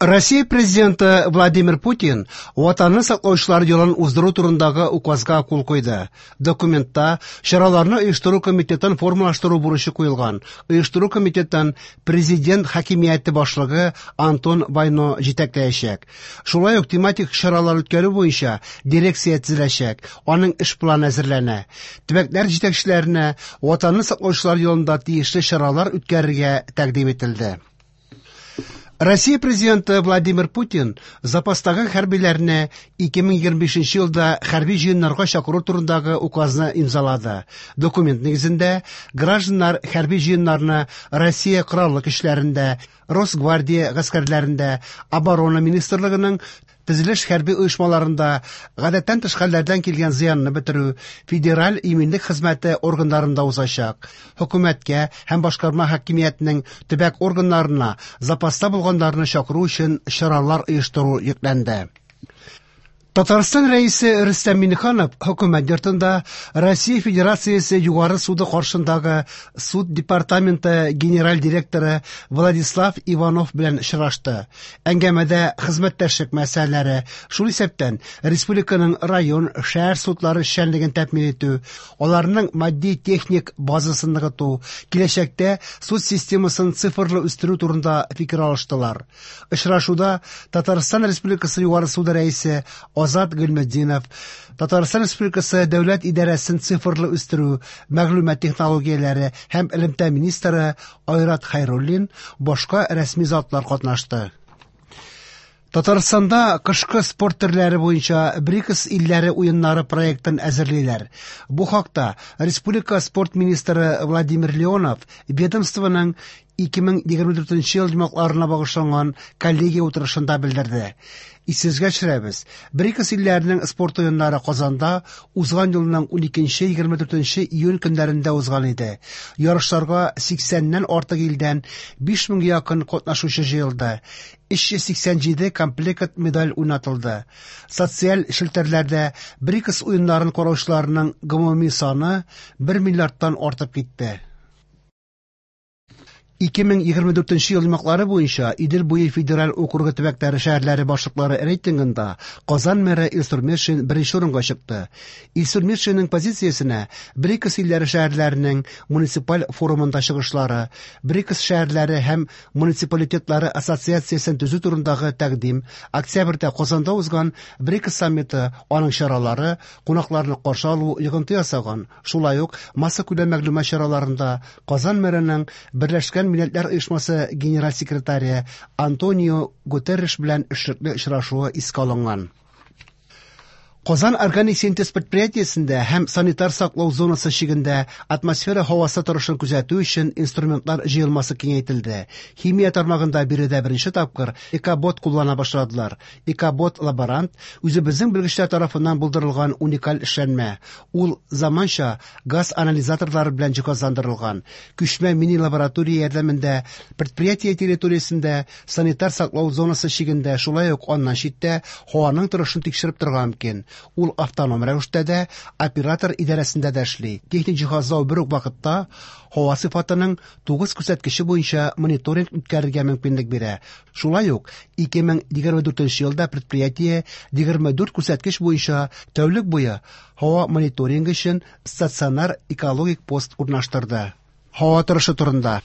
Россия Президенты Владимир Путин Ватанны саклаучылар елын уздыру турындагы указга кул куйды. Документта чараларны оештыру комитетын формалаштыру бурычы куелган. Оештыру комитетын президент хакимияте башлыгы Антон Вайно җитәкләячәк. Шулай ук тематик чаралар үткәрү буенча дирекция төзеләчәк, аның эш планы әзерләнә. Төбәкләр җитәкчеләренә Ватанны саклаучылар елында тиешле чаралар үткәрергә тәкъдим ителде. Россия президенты Владимир Путин запастагы хәрбиләрне 2025 елда хәрби җыеннарга чакыру турындагы указны имзалады. Документ нигезендә гражданнар хәрби җыеннарны Россия Кораллы көчләрендә, Росгвардия гаскәрләрендә, Оборона министрлыгының төзелеш хәрби оешмаларында, гадәттән тыш хәлләрдән килгән зыянны бетерү, федераль иминлек хезмәте органнарында узачак. Хөкүмәткә һәм башкарма хакимиятнең төбәк органнарына запаста булганнарны чакыру өчен чаралар оештыру йөкләнде. Татарстан Рәисе Рөстәм Миңнеханов хөкүмәт йортында Россия Федерациясе Югары суды каршындагы суд департаменты генераль директоры Владислав Иванов белән очрашты. Әңгәмәдә хезмәттәшлек мәсьәләләре, шул исәптән республиканың район, шәһәр судлары эшчәнлеген тәэмин итү, аларның матди-техник базасын ныгыту, киләчәктә суд системасын цифрлы үстерү турында фикер алыштылар. Очрашуда Татарстан Республикасы Югары суды рәисе Азат Гыйльметдинов, Татарстан Республикасы Дәүләт идарәсен цифрлы үстерү, мәгълүмат технологияләре һәм элемтә министры Айрат Хәйруллин, башка рәсми затлар катнашты. Татарстанда кышкы спорт төрләре буенча БРИКС илләре уеннары проектын әзерлиләр. Бу хакта республика спорт министры Владимир Леонов ведомствоның 2024 ел йомгакларына багышланган коллегия утырышында белдерде. Исегезгә төшерәбез, БРИКС илләренең спорт уеннары Казанда узган елның 12-24 июнь көннәрендә узган иде. Ярышларга 80-нән артык илдән 5000 якын катнашучы җыелды. 387 комплект медаль уйнатылды. Социаль челтәрләрдә БРИКС уеннарын караучыларның гомуми саны 1 миллиардтан артып китте. 2024 ел йомгаклары буенча Идел буе федераль округы төбәкләре шәһәрләре башлыклары рейтингында Казан мэры Илсур Метшин беренче урынга чыкты. Илсур Метшинның позициясенә БРИКС илләре шәһәрләренең муниципаль форумында чыгышлары, БРИКС шәһәрләре һәм муниципалитетлары ассоциациясен төзү турындагы тәкъдим, октябрьдә Казанда узган БРИКС саммиты, аның чаралары, кунакларны каршы алу йогынты ясаган. Шулай ук массакүләм мәгълүмат чараларында Казан мэрының Берләшкән Милләтләр Оешмасы генераль секретаре Антонио Гутерреш белән эшлекле очрашуы искә алынган. Казан органик синтез предприятиесендә һәм санитар саклау зонасы чигендә атмосфера һавасы торышын күзәтү өчен инструментлар җыелмасы киңәйтелде. Химия тармагында биредә беренче тапкыр экобот куллана башладылар. Экобот лаборант үзебезнең белгечләр тарафыннан булдырылган уникаль эшләнмә. Ул заманча газ анализаторлары белән җиһазландырылган. Күчмә мини-лаборатория ярдәмендә предприятие территориясендә санитар саклау зонасы чигендә, шулай ук аннан читтә һаваның торышын тикшереп торырга мөмкин. Ул автоном рәвештә дә, оператор идарәсендә дә эшли. Техник җиһазлау бер үк вакытта һава сыйфатының 9 күрсәткече буенча мониторинг үткәрергә мөмкинлек бирә. Шулай ук 2024 елда предприятие 24 күрсәткеч буенча тәүлек буе һава мониторингы өчен стационар экологик пост урнаштырды. Һава торышы турында.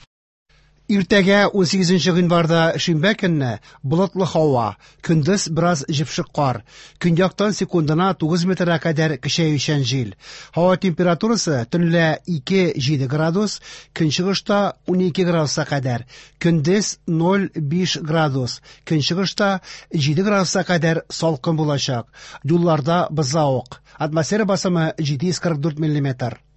Иртәгә 18 гыйнварда шимбә көнне болытлы һава, көндез бераз җепшек кар, көньяктан секундына 9 метрга кадәр көчәючән җил. Һава температурасы төнлә 2-7 градус, көнчыгышта 12 градуска кадәр, көндез 0-5 градус, көнчыгышта 7 градуска кадәр салкын булачак. Юлларда бозлавык. Атмосфера басымы 744 миллиметр.